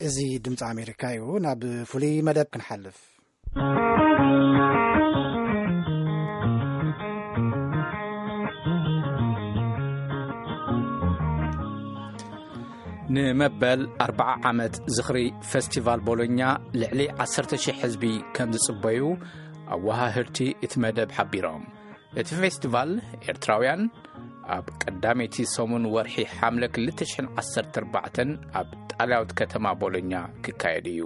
እዚ ድምፂ ኣሜሪካ እዩ። ናብ ፍሉይ መደብ ክንሓልፍ። ንመበል ኣርብዓ ዓመት ዝኽሪ ፈስቲቫል ቦሎኛ ልዕሊ ዓሰርተ ሽሕ ህዝቢ ከም ዝጽበዩ ኣወሃህድቲ እቲ መደብ ሓቢሮም። እቲ ፌስቲቫል ኤርትራውያን ኣብ ቀዳመይቲ ሰሙን ወርሒ ሓምለ ክልተ ሽሕን ዓሰርተ ኣርባዕተን ኣብ ጣልያዊት ከተማ ቦሎኛ ክካየድ እዩ።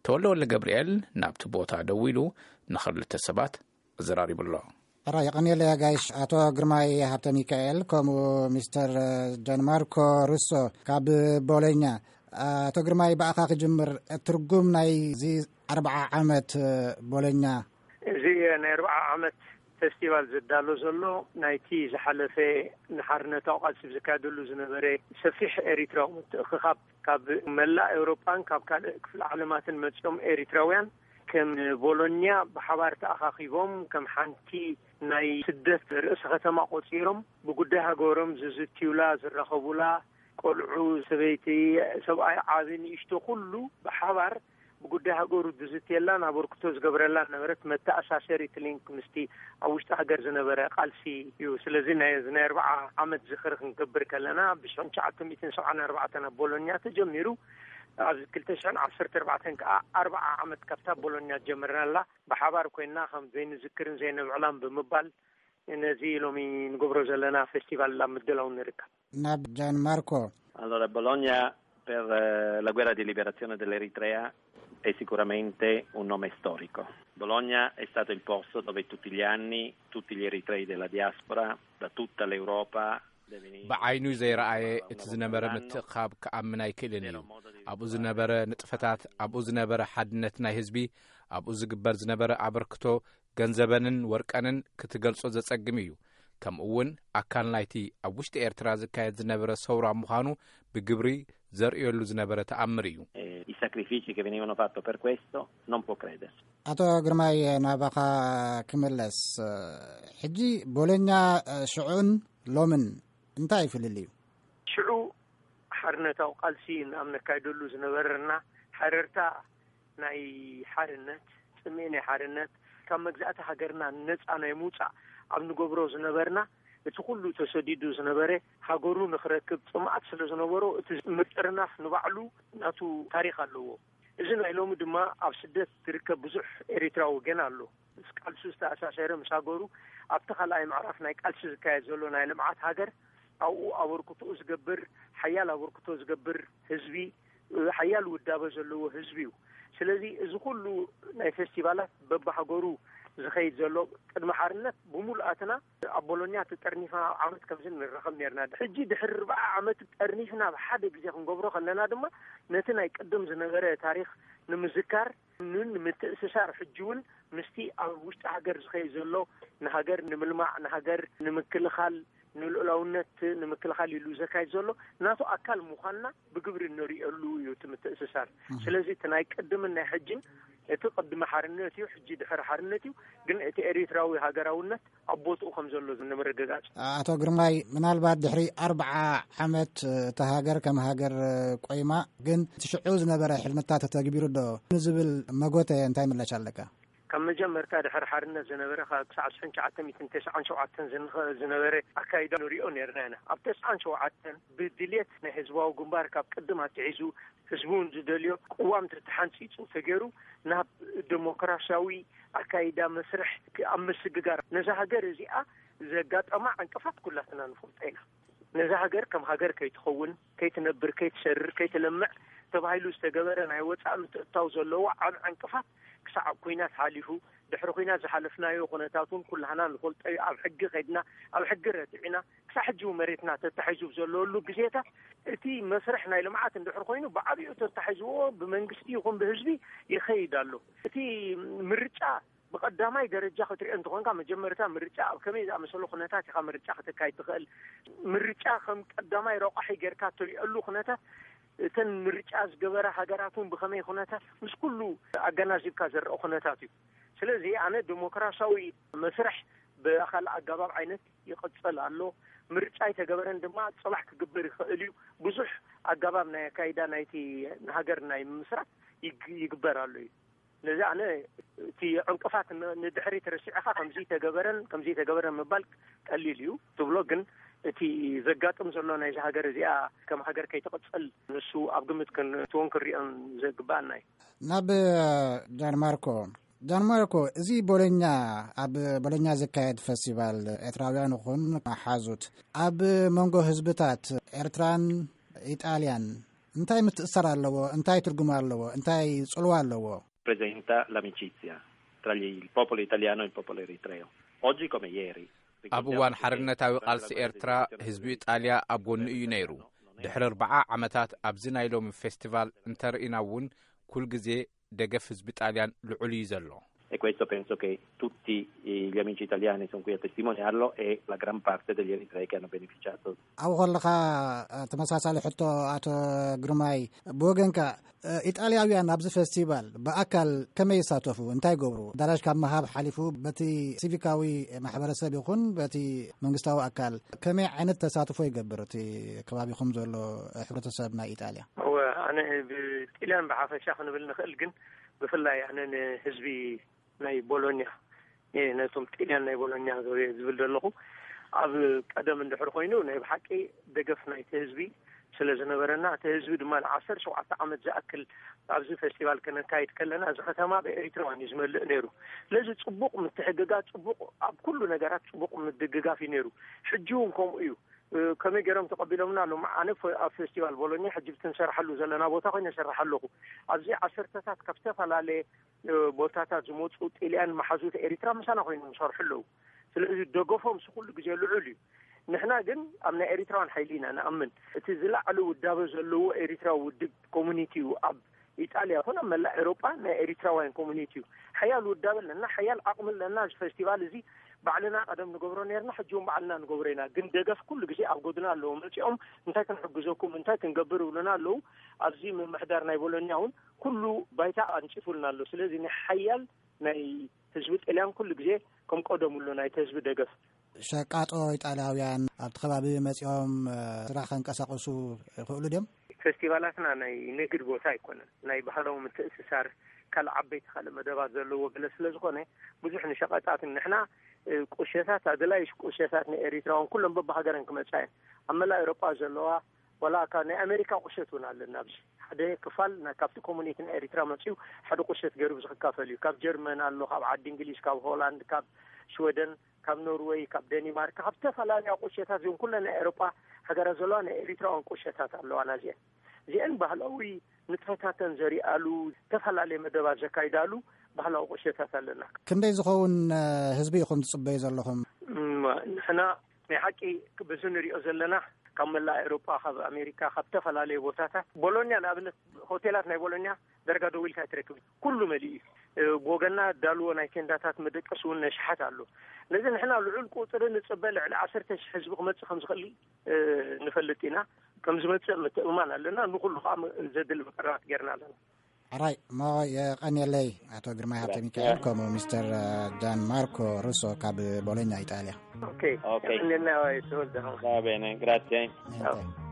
ተወልደ ወልደ ገብርኤል ናብቲ ቦታ ደዊሉ ንኽልተ ሰባት ኣዘራሪቡ ኣሎ። ሕራ የቐንየለ ጋይሽ ኣቶ ግርማይ ሃብተ ሚካኤል፣ ከምኡ ሚስተር ጃንማርኮ ሩሶ ካብ ቦሎኛ። ኣቶ ግርማይ፣ ብኣኻ ክጅምር። ትርጉም ናይ እዚ ኣርብዓ ዓመት ቦሎኛ? እዚ ናይ ኣርብዓ ዓመት ፌስቲቫል ዘዳሎ ዘሎ ናይቲ ዝሓለፈ ንሓርነታዊ ቃልሲ ዝካየደሉ ዝነበረ ሰፊሕ ኤሪትራዊ ምትእኽኻብ ካብ መላእ ኤውሮጳን ካብ ካልእ ክፍለ ዓለማትን መጺኦም ኤሪትራውያን ከም ቦሎኛ ብሓባር ተኣኻኺቦም ከም ሓንቲ ናይ ስደት ርእሰ ከተማ ቆጺሮም ብጉዳይ ሃገሮም ዝዝትዩላ፣ ዝራኸቡላ፣ ቆልዑ፣ ሰበይቲ፣ ሰብኣይ፣ ዓቢ ንእሽቶ ኩሉ ብሓባር ብጉዳይ ሃገሩ ዝዝትየላን ኣበርክቶ ዝገብረላን ነበረት መተኣሳሰሪት ሊንክ ምስቲ ኣብ ውሽጢ ሃገር ዝነበረ ቃልሲ እዩ። ስለዚ ናይ፣ እዚ ናይ ኣርብዓ ዓመት ዝኽሪ ክንገብር ከለና ብሽሕን ትሽዓተ ሚእትን ሰብዓን ኣርባዕተን ኣብ ቦሎኛ ተጀሚሩ ኣብ ክልተ ሽሕን ዓሰርተ ኣርባዕተን ከኣ ኣርብዓ ዓመት ካብታ ቦሎኛ ጀምርናላ ብሓባር ኮይንና ከም ዘይንዝክርን ዘይነብዕላን ብምባል ነዚ ሎሚ ንገብሮ ዘለና ፌስቲቫል ኣብ ምድላው ንርከብ። ናብ ጃን ማርኮ። Allora, Bologna per eh, la guerra di liberazione dell'Eritrea è sicuramente un nome storico. Bologna è stato il posto dove tutti gli anni tutti gli eritrei della diaspora, da tutta l'Europa, ብዓይኑ ዘይረኣየ እቲ ዝነበረ ምትእኻብ ክኣምን ኣይክእልን እዩ። ኣብኡ ዝነበረ ንጥፈታት፣ ኣብኡ ዝነበረ ሓድነት ናይ ህዝቢ፣ ኣብኡ ዝግበር ዝነበረ ኣበርክቶ ገንዘበንን ወርቀንን ክትገልጾ ዘጸግም እዩ። ከምኡ እውን ኣካል ናይቲ ኣብ ውሽጢ ኤርትራ ዝካየድ ዝነበረ ሰውራ ምዃኑ ብግብሪ ዘርእየሉ ዝነበረ ተኣምር እዩ። Eh, i sacrifici che venivano fatti per questo non può credersi. ኣቶ ግርማይ፣ ናባኻ ክምለስ። ሕጂ ቦሎኛ ሽዑን ሎምን እንታይ እዩ ፍልልዩ? ሽዑ ሓርነታዊ ቃልሲ ኣብ ነካይደሉ ዝነበረና፣ ሓረርታ ናይ ሓርነት፣ ጽምኢ ናይ ሓርነት፣ ካብ መግዛእቲ ሃገርና ነጻ ናይ ምውጻእ ኣብ ንገብሮ ዝነበርና፣ እቲ ኩሉ ተሰዲዱ ዝነበረ ሃገሩ ንኽረክብ ጽምኣት ስለ ዝነበሮ፣ እቲ ምጥርናፍ ንባዕሉ ናቱ ታሪኽ ኣለዎ። እዚ ናይ ሎሚ ድማ ኣብ ስደት ዝርከብ ብዙሕ ኤሪትራዊ ገና ኣሎ። ምስ ቃልሱ ዝተኣሳሰረ፣ ምስ ሃገሩ ኣብቲ ካልኣይ ምዕራፍ ናይ ቃልሲ ዝካየድ ዘሎ ናይ ልምዓት ሃገር ኣብኡ ኣበርክቶኡ ዝገብር፣ ሓያል ኣበርክቶ ዝገብር ህዝቢ፣ ሓያል ውዳበ ዘለዎ ህዝቢ እዩ። ስለዚ እዚ ኩሉ ናይ ፌስቲቫላት በብሃገሩ ዝኸይድ ዘሎ፣ ቅድሚ ሓርነት ብምሉኣትና ኣብ ቦሎኛ ተጠርኒፍና ኣብ ዓመት ከምዚ ንራኸብ ነርና። ሕጂ ድሕሪ ኣርብዓ ዓመት ጠርኒፍና ብሓደ ግዜ ክንገብሮ ከለና ድማ ነቲ ናይ ቅድም ዝነበረ ታሪኽ ንምዝካር ን-፣ ንምትእስሳር፣ ሕጂ እውን ምስቲ ኣብ ውሽጢ ሃገር ዝኸይድ ዘሎ ንሃገር ንምልማዕ፣ ንሃገር ንምክልኻል፣ ንልኡላውነት ንምክልኻል ኢሉ ዘካይድ ዘሎ ናቱ ኣካል ምዃንና ብግብሪ እንርእየሉ እዩ እቲ ምትእስሳር። እህ። ስለዚ እቲ ናይ ቅድምን ናይ ሕጅን፣ እቲ ቅድሚ ሓርነት እዩ፣ ሕጂ ድሕሪ ሓርነት እዩ፣ ግን እቲ ኤሪትራዊ ሃገራውነት ኣብ ቦትኡ ከም ዘሎ ንምርግጋጽ። ኣቶ ግርማይ፣ ምናልባት ድሕሪ ኣርብዓ ዓመት እታ ሃገር ከም ሃገር ቆይማ፣ ግን እቲ ሽዑ ዝነበረ ሕልምታት ተተግቢሩ ዶ ንዝብል መጎተ እንታይ ምላሽ ኣለካ? ካብ መጀመርታ ድሕሪ ሓርነት ዝነበረ፣ ካብ ክሳዕ ሽሕን ትሽዓተ ሚእትን ተስዓን ሸውዓተን ዝንኸ-፣ ዝነበረ ኣካይዳ ንሪኦ ነርና ኢና። ኣብ ተስዓን ሸውዓተን ብድልየት ናይ ህዝባዊ ግንባር ካብ ቅድም ኣትሒዙ ህዝቢ እውን ዝደልዮ ቅዋም ተተሓንፂፁ ተገይሩ ናብ ዴሞክራሲያዊ ኣካይዳ መስርሕ ክ-፣ ኣብ ምስግጋር ነዛ ሃገር እዚኣ ዘጋጠማ ዕንቅፋት ኩላትና ንፈልጦ ኢና። ነዛ ሃገር ከም ሃገር ከይትኸውን፣ ከይትነብር፣ ከይትሰርር፣ ከይትለምዕ ተባሂሉ ዝተገበረ ናይ ወፃኢ ምትእትታው ዘለዎ ዓብ ዕንቅፋት ክሳዕ ኣብ ኲናት ሓሊፉ፣ ድሕሪ ኲናት ዝሓለፍናዮ ኩነታት እውን ኩላህና ንፈልጦ እዩ። ኣብ ሕጊ ከይድና፣ ኣብ ሕጊ ረቲዕና፣ ክሳዕ ሕጂ እውን መሬትና ተታሒዙ ዘለወሉ ግዜታት፣ እቲ መስርሕ ናይ ልምዓት እንድሕር ኮይኑ፣ ብዓብኡ ተታሒዝዎ ብመንግስቲ ይኹን ብህዝቢ ይኸይድ ኣሎ። እቲ ምርጫ ብቐዳማይ ደረጃ ክትሪኦ እንተኾንካ፣ መጀመርታ ምርጫ ኣብ ከመይ ዝኣመሰሉ ኩነታት ኢኻ ምርጫ ከተካይድ ትኽእል? ምርጫ ከም ቀዳማይ ረቋሒ ጌርካ እትሪኦሉ ኩነታት፣ እተን ምርጫ ዝገበራ ሃገራት እውን ብኸመይ ኩነታት፣ ምስ ኩሉ ኣገናዚብካ ዝረአ ኩነታት እዩ። ስለዚ ኣነ ዴሞክራሲያዊ መስርሕ ብኣኻል ኣገባብ ዓይነት ይቕጽል ኣሎ። ምርጫ ኣይተገበረን ድማ ጽባሕ ክግበር ይኽእል እዩ። ብዙሕ ኣገባብ ናይ ኣካይዳ ናይቲ ንሃገር ናይ ምምስራት ይግ- ይግበር ኣሎ እዩ። ስለዚ ኣነ እቲ ዕንቅፋት ን- ንድሕሪት ረሲዕኻ ከምዚ ተገበረን ከምዚ ተገበረን ምባል ቀሊል እዩ ትብሎ፣ ግን እቲ ዘጋጥም ዘሎ ናይዚ ሃገር እዚኣ ከም ሃገር ከይትቕጽል ንሱ ኣብ ግምት ክንእትዎን ክንሪኦን ዘግባኣና እዩ። ናብ ጃንማርኮ ጃንማርኮ፣ እዚ ቦሎኛ፣ ኣብ ቦሎኛ ዝካየድ ፈስቲቫል ኤርትራውያን ይኹን መሓዙት ኣብ መንጎ ህዝብታት ኤርትራን ኢጣልያን እንታይ ምትእሳር ኣለዎ? እንታይ ትርጉም ኣለዎ? እንታይ ጽልዋ ኣለዎ? Presenta l'amicizia tra gli- il popolo italiano e il popolo eritreo. Oggi come ieri. ኣብ እዋን ሓርነታዊ ቃልሲ ኤርትራ ህዝቢ ኢጣልያ ኣብ ጎኑ እዩ ነይሩ። ድሕሪ ኣርባዓ ዓመታት ኣብዚ ናይ ሎሚ ፌስቲቫል እንተርኢና እውን ኩል ግዜ ደገፍ ህዝቢ ጣልያን ልዑል እዩ ዘሎ። E questo penso che tutti gli amici italiani sono qui a testimoniarlo e la gran parte degli eritrei che hanno beneficiato. ኣብኡ ከለኻ ተመሳሳሊ ሕቶ ኣቶ ግርማይ፣ ብወገንካ ኢጣልያውያን ኣብዚ ፌስቲቫል ብኣካል ከመይ ይሳተፉ? እንታይ ይገብሩ? ኣዳራሽ ካብ ምሃብ ሓሊፉ በቲ ሲቪካዊ ማሕበረሰብ ይኹን በቲ መንግስታዊ ኣካል ከመይ ዓይነት ተሳትፎ ይገብር እቲ ከባቢኹም ዘሎ ሕብረተሰብ ናይ ኢጣልያ? እወ፣ ኣነ ብጥልያን ብሓፈሻ ክንብል ንኽእል፣ ግን ብፍላይ ኣነ ንህዝቢ ናይ ቦሎኛ፣ ነቶም ጥልያን ናይ ቦሎኛ ዝብል ዘለኹ፣ ኣብ ቀደም እንድሕር ኮይኑ ናይ ብሓቂ ደገፍ ናይቲ ህዝቢ ስለ ዝነበረና፣ እቲ ህዝቢ ድማ ንዓሰርተ ሸውዓተ ዓመት ዝኣክል ኣብዚ ፌስቲቫል ከነካይድ ከለና፣ እዚ ከተማ ብኤሪትራውያን እዩ ዝመልእ ነይሩ። ስለዚ ጽቡቕ ምትሕግጋዝ፣ ጽቡቕ፣ ኣብ ኩሉ ነገራት ጽቡቅ ምድግጋፍ እዩ ነይሩ። ሕጂ እውን ከምኡ እዩ። ከመይ ገይሮም ተቐቢሎምና ኣለዉ? ኣነ ኣብ ፌስቲቫል ቦሎኛ ሕጂ ብትንሰርሓሉ ዘለና ቦታ ኮይነ እሰርሕ ኣለኹ። ኣብዚ ዓሰርተታት ካብ ዝተፈላለየ ቦታታት ዝመፁ ጥልያን መሓዙት ኤሪትራ ምሳና ኮይኖም ይሰርሑ ኣለዉ። ስለዚ ደገፎም ኩሉ ግዜ ልዑል እዩ። ንሕና ግን ኣብ ናይ ኤሪትራውያን ሓይሊ ኢና ንኣምን። እቲ ዝላዕለ ውዳበ ዘለዎ ኤሪትራዊ ውድብ ኮሚኒቲ እዩ ኣብ ኢጣልያ ይኹን ኣብ መላእ ኤሮጳ ናይ ኤሪትራውያን ኮሚኒቲ እዩ። ሓያል ውዳበ ኣለና፣ ሓያል ዓቕሚ ኣለና። እዚ ፌስቲቫል እዚ ባዕልና ቀደም ንገብሮ ነርና፣ ሕጂ እውን ባዕልና ንገብሮ ኢና። ግን ደገፍ ኩሉ ግዜ ኣብ ጎድና ኣለዉ። መጺኦም እንታይ ክንሕግዘኩም፣ እንታይ ክንገብር ይብሉና ኣለዉ። ኣብዚ ምምሕዳር ናይ ቦሎኛ እውን ኩሉ ባይታ ኣንጺፉልና ኣሎ። ስለዚ ናይ ሓያል ናይ ህዝቢ ጥልያን ኩሉ ግዜ ከም ቀደሙ ኣሎ ናይቲ ህዝቢ ደገፍ። ሸቃጦ ኢጣልያውያን ኣብቲ ከባቢ መጺኦም ስራሕ ከንቀሳቕሱ ይኽእሉ ድዮም? ፌስቲቫላትና ናይ ንግድ ቦታ ኣይኮነን። ናይ ባህላዊ ምትእስሳር፣ ካልእ ዓበይቲ ካልእ መደባት ዘለዎ ገለ ስለ ዝኾነ ብዙሕ ንሸቐጣትን ንሕና ቁሸታት ኣድላይ ቁሸታት ንኤሪትራውን ኩሎም በብሃገረን ክመጻ እየን። ኣብ መላእ ኤውሮጳ ዘለዋ ዋላ ካብ ናይ ኣሜሪካ ቁሸት እውን ኣለና። ኣብዚ ሓደ ክፋል ና- ካብቲ ኮሙኒቲ ናይ ኤሪትራ መጺኡ ሓደ ቁሸት ገይሩ ዝክካፈል እዩ። ካብ ጀርመን ኣሎ፣ ካብ ዓዲ እንግሊዝ፣ ካብ ሆላንድ፣ ካብ ሽወደን፣ ካብ ኖርወይ፣ ካብ ደኒማርክ፣ ካብ ዝተፈላለዩ ቁሸታት እዚኦም ኩለን ናይ ኤሮጳ ሃገራት ዘለዋ ናይ ኤሪትራውያን ቁሸታት ኣለዋና። እዚአን እዚአን ባህላዊ ንጥፈታተን ዘሪኣሉ ዝተፈላለየ መደባት ዘካይዳሉ ባህላዊ ቁሸታት ኣለና። ክንደይ ዝኸውን ህዝቢ ኢኹም ትጽበዩ ዘለኹም? ንሕና ናይ ሓቂ በዚ ንሪኦ ዘለና ካብ መላእ ኤውሮጳ፣ ካብ ኣሜሪካ፣ ካብ ዝተፈላለዩ ቦታታት፣ ቦሎኛ ንኣብነት ሆቴላት ናይ ቦሎኛ ደረጋ ደዊልካ ኣይትረክብ፣ ኩሉ መሊኡ እዩ። ብወገና ዳልዎ ናይ ቴንዳታት መደቀሲ እውን ነሽሓት ኣሎ። ስለዚ ንሕና ልዑል ቁፅሪ ንፅበ፣ ልዕሊ ዓሰርተ ሽሕ ህዝቢ ክመፅእ ከም ዝኽእል ንፈልጥ ኢና። ከም ዝመፅእ ምትእምማን ኣለና። ንኩሉ ከዓ ዘድሊ መቀረባት ጌርና ኣለና። ሕራይ እሞ የቐንየለይ ኣቶ ግርማይ ሃብተ ሚካኤል ከምኡ ሚስተር ጃን ማርኮ ሩሶ ካብ ቦሎኛ ኢጣልያ። ኦኬ፣ ኦኬ። የቐንየልና ተወልደ። Va bene, grazie. Niente.